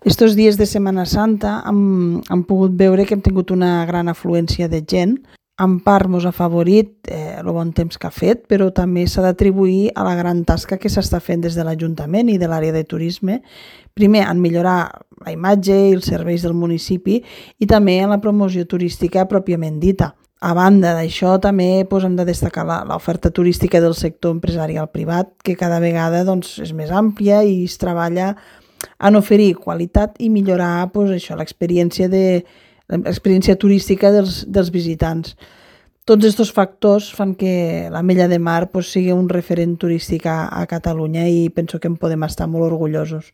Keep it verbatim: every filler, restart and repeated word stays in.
Estos dies de Setmana Santa hem, hem pogut veure que hem tingut una gran afluència de gent. En part mos ha afavorit eh, el bon temps que ha fet, però també s'ha d'atribuir a la gran tasca que s'està fent des de l'Ajuntament i de l'àrea de turisme, primer en millorar la imatge i els serveis del municipi i també en la promoció turística pròpiament dita. A banda d'això, també doncs, hem de destacar l'oferta turística del sector empresarial privat, que cada vegada doncs, és més àmplia i es treballa en oferir qualitat i millorar doncs, això, l'experiència de l'experiència turística dels, dels visitants. Tots aquests factors fan que l'Ametlla de Mar doncs, sigui un referent turístic a, a Catalunya i penso que en podem estar molt orgullosos.